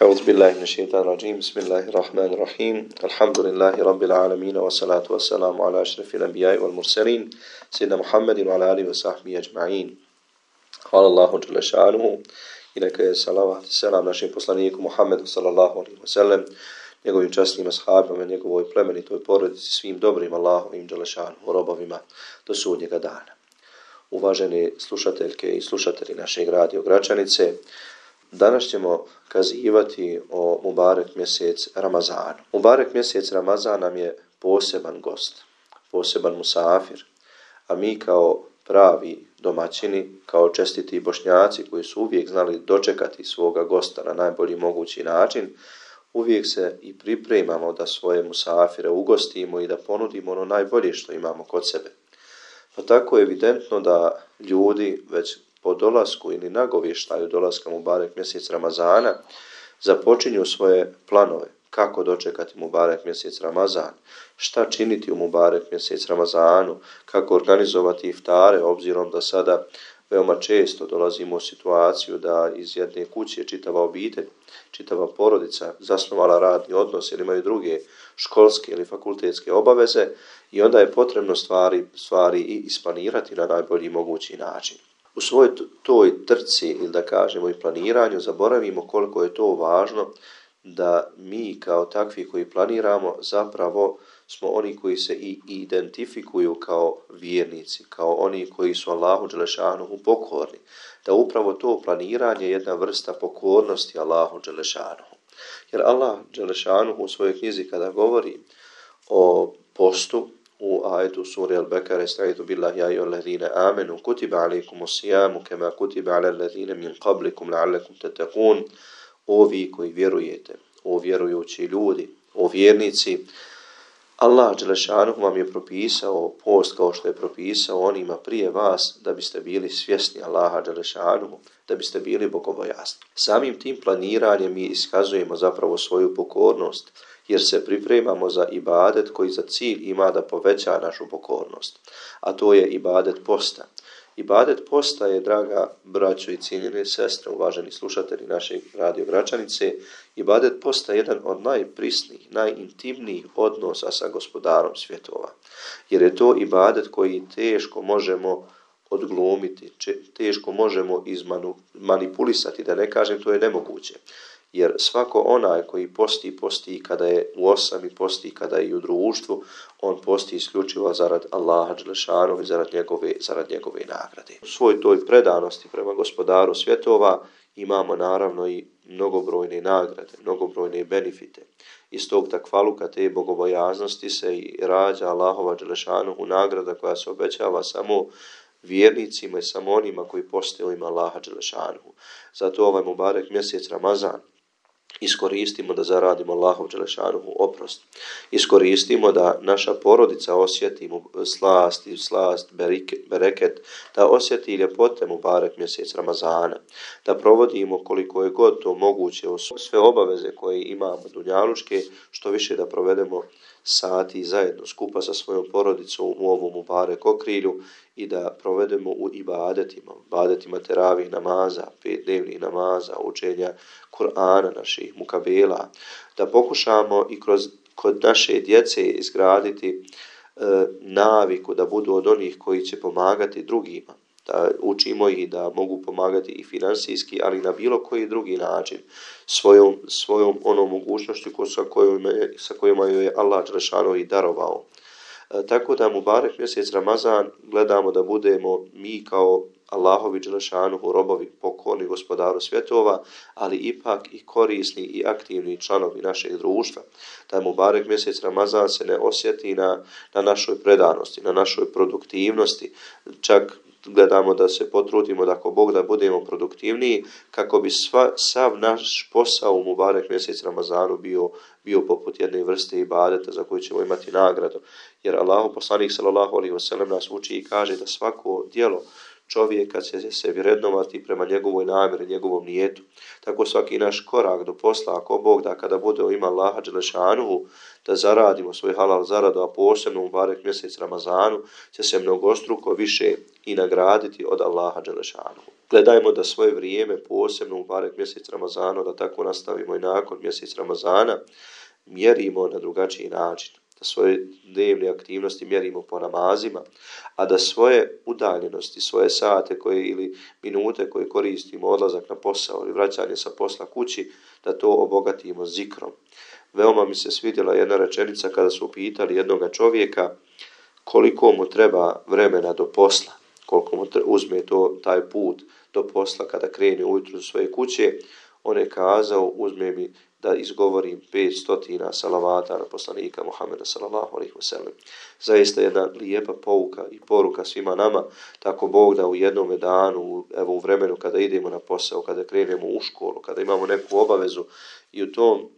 أعوذ بالله من الشيطان الرجيم بسم الله الرحمن الرحيم الحمد لله رب العالمين والصلاة والسلام على أشرف الأنبياء والمرسلين سيدنا محمد وعلى آله وصحبه أجمعين. Hvala Allahu dželle šanuhu i neka je salavat i selam našem poslaniku Muhammedu sallallahu alejhi ve sellem, njegovim časnim ashabima, njegovoj plemenitoj porodici, svim dobrim Allahovim dželle šanuhu robovima do sudnjega dana. Uvaženi slušateljke i slušatelji našeg radio Gračanice, danas ćemo kazivati o Mubarek mjesec Ramazanu. Mubarek mjesec Ramazan nam je poseban gost, poseban musafir, a mi kao pravi domaćini, kao čestiti Bošnjaci koji su uvijek znali dočekati svoga gosta na najbolji mogući način, uvijek se i pripremamo da svoje musafire ugostimo i da ponudimo ono najbolje što imamo kod sebe. Pa tako je evidentno da ljudi već po dolasku ili nagovještaju dolaska Mubarek mjesec Ramazana započinju svoje planove kako dočekati Mubarek mjesec Ramazan, šta činiti u Mubarek mjesec Ramazanu, kako organizovati iftare, obzirom da sada veoma često dolazimo u situaciju da iz jedne kuće čitava obitelj, čitava porodica zasnovala radni odnos ili imaju druge školske ili fakultetske obaveze i onda je potrebno stvari i isplanirati na najbolji mogući način. U svojoj toj trci ili da kažemo i planiranju zaboravimo koliko je to važno da mi kao takvi koji planiramo zapravo smo oni koji se i identifikuju kao vjernici, kao oni koji su Allahu dželle šanuhu pokorni. Da upravo to planiranje je jedna vrsta pokornosti Allahu dželle šanuhu. Jer Allah dželle šanuhu u svojoj knjizi kada govori o postu, u ajetu suri Al-Bekare, estaizu billahi ja ayyuhallazina amanu kutiba alaykumus-siyamu kama kutiba alal ladzina min qablikum la'allakum tattaqun. O vi koji vjerujete, o vjerujući ljudi, o vjernici, Allah dželle šanuhu vam je propisao post kao što je propisao onima prije vas da biste bili svjesni Allaha dželle šanuhu, da biste bili bogobojazni. Samim tim planiranjem mi iskazujemo zapravo svoju pokornost, jer se pripremamo za ibadet koji za cilj ima da poveća našu pokornost, a to je ibadet posta. Ibadet posta je, draga braćo i cijenjene sestre, uvaženi slušatelji našeg radio Gračanice, ibadet posta je jedan od najprisnijih, najintimnijih odnosa sa gospodarom svjetova. Jer je to ibadet koji teško možemo odglumiti, teško možemo izmanipulisati, da ne kažem to je nemoguće. Jer svako onaj koji posti kada je u osami, posti kada je i u društvu, on posti isključivo zarad Allaha dželle šanuhu i zarad njegove nagrade. U svoj toj predanosti prema gospodaru svjetova imamo naravno i mnogobrojne nagrade, mnogobrojne benefite. Iz tog takvaluka te bogobojaznosti se i rađa Allahova dželle šanuhu nagrada koja se obećava samo vjernicima i samo onima koji poste u ime Allaha dželle šanuhu. Zato ovaj Mubarek mjesec Ramazan iskoristimo da zaradimo Allahov dželle šanuhu oprost. Iskoristimo da naša porodica osjeti slast, bereket, da osjeti ljepote Mubarek mjesec Ramazana, da provodimo koliko je god to moguće sve obaveze koje imamo dunjaluške, što više da provedemo sati zajedno skupa sa svojom porodicom u ovom Mubarek okrilju i da provedemo u ibadetima teravih namaza, 5 dnevnih namaza, učenja Kur'ana, naših mukabela, da pokušamo i kod naše djece izgraditi naviku da budu od onih koji će pomagati drugima, da učimo ih da mogu pomagati i finansijski, ali na bilo koji drugi način, svojom onom mogućnošću sa kojima joj je Allah dželle šanuhu i darovao. Tako da Mubarek mjesec Ramazan gledamo da budemo mi kao Allahovi dželle šanuhu robovi, pokorni gospodaru svjetova, ali ipak i korisni i aktivni članovi našeg društva. Da Mubarek mjesec Ramazan se ne osjeti na našoj predanosti, na našoj produktivnosti, čak gledamo da se potrudimo da ako Bog da budemo produktivniji kako bi sav naš posao u Mubarek mjesec Ramazanu bio poput jedne vrste ibadeta za koju ćemo imati nagradu. Jer Allahu poslanik sallallahu alejhi ve sellem nas uči i kaže da svako djelo čovjeka će se vrednovati prema njegovoj namjeri, njegovom nijetu. Tako svaki naš korak do posla, ako Bog da kada bude u ime Allaha dželle šanuhu da zaradimo svoj halal zaradu, a posebno u Mubarek mjesec Ramazanu će se mnogostruko više i nagraditi od Allaha dželle šanuhu. Gledajmo da svoje vrijeme, posebno u barek mjesec Ramazana, da tako nastavimo i nakon mjesec Ramazana, mjerimo na drugačiji način. Da svoje dnevne aktivnosti mjerimo po namazima, a da svoje udaljenosti, svoje sate koje ili minute koje koristimo, odlazak na posao ili vraćanje sa posla kući, da to obogatimo zikrom. Veoma mi se svidjela jedna rečenica kada su pitali jednoga čovjeka koliko mu treba vremena do posla, koliko mu uzme taj put do posla kada krene ujutru do svoje kuće. On je kazao, uzme mi da izgovorim 500 salavata na poslanika Muhammeda sallallahu alejhi ve sellem. Zaista jedna lijepa pouka i poruka svima nama, tako Bog da u jednom danu, evo u vremenu kada idemo na posao, kada krenemo u školu, kada imamo neku obavezu i u tom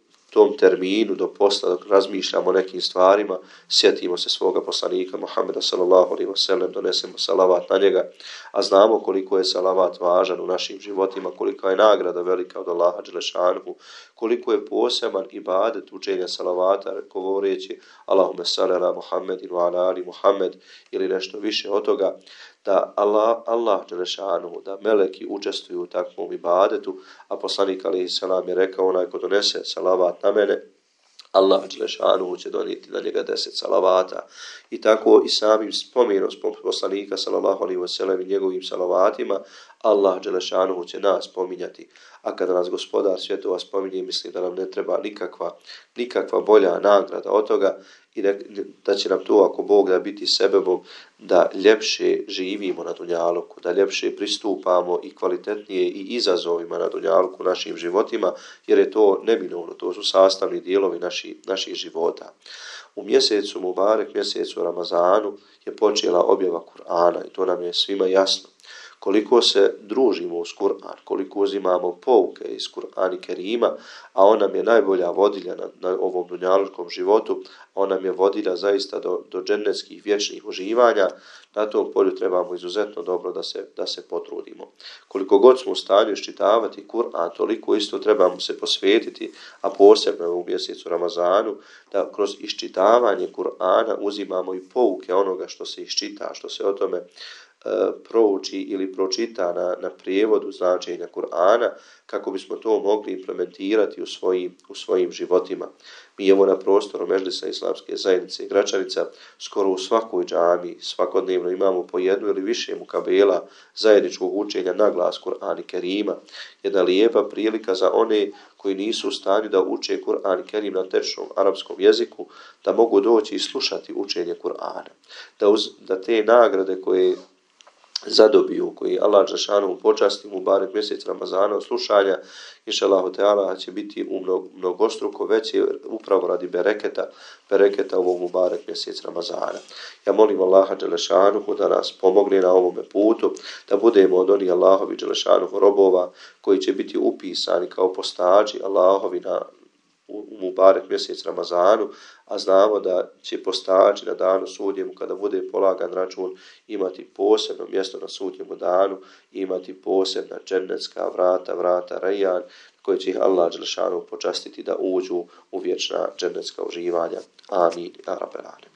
terminu do posla, dok razmišljamo o nekim stvarima, sjetimo se svoga poslanika Muhammeda sallallahu alejhi ve sellem, donesemo salavat na njega, a znamo koliko je salavat važan u našim životima, kolika je nagrada velika od Allaha dželešanuhu, koliko je poseban ibadet učenja salavata, govoreći Allahumme salli ala Muhammedin wa ala ali Muhammed ili nešto više od toga, da Allah dželešanuhu, da meleki učestvuju u takvom ibadetu, a poslanik alejhi selam je rekao, onaj ko donese salavat na mene, Allah dželešanuhu će donijeti na njega 10 salavata. I tako i samim spomenom poslanika sallallahu alejhi ve sellem i njegovim salavatima, Allah dželešanuhu će nas spominjati. A kada nas Gospodar svjetova spominje, mislim da nam ne treba nikakva bolja nagrada od toga i da će nam to, ako Bog da, biti sebebom da ljepše živimo na dunjaluku, da ljepše pristupamo i kvalitetnije i izazovima na dunjaluku našim životima, jer je to neminovno, to su sastavni dijelovi naših života. U mjesecu Mubarek, mjesecu Ramazanu, je počela objava Kur'ana i to nam je svima jasno. Koliko se družimo uz Kur'an, koliko uzimamo pouke iz Kur'ana Kerima, a on nam je najbolja vodilja na ovom dunjalučkom životu, on nam je vodilja zaista do džennetskih vječnih uživanja. Na tom polju trebamo izuzetno dobro da se potrudimo. Koliko god smo u stanju iščitavati Kur'an, toliko isto trebamo se posvetiti, a posebno u mjesecu Ramazanu, da kroz iščitavanje Kur'ana uzimamo i pouke onoga što se iščita, što se o tome prouči ili pročita na prijevodu značenja Kur'ana, kako bismo to mogli implementirati u svojim životima. Mi evo na prostoru Medžlisa Islamske zajednice i Gračanica skoro u svakoj džami svakodnevno imamo po jednu ili više mukabela zajedničkog učenja na glas Kur'ana Kerima. Jedna lijepa prilika za one koji nisu u stanju da uče Kur'an Kerim na tečnom arapskom jeziku, da mogu doći i slušati učenje Kur'ana. Da te nagrade koje zadobiju, koji Allah dželešanu počasti mu barek mjesec Ramazana od slušanja, inšallahu teala će biti mnogostruko veće upravo radi bereketa ovog mubarek mjesec Ramazana. Ja molim Allaha dželešanu da nas pomogne na ovome putu, da budemo od onih Allahovi dželešanu robova koji će biti upisani kao postači Allahovi u mubarek mjesec Ramazanu, a znamo da će postači na danu sudnjemu, kada bude polagan račun, imati posebno mjesto na sudnjemu danu, imati posebna džennetska vrata Rajjan, koje će ih Allah dželešanu počastiti da uđu u vječna džennetska uživanja. Amin. Ja rabbel alemin.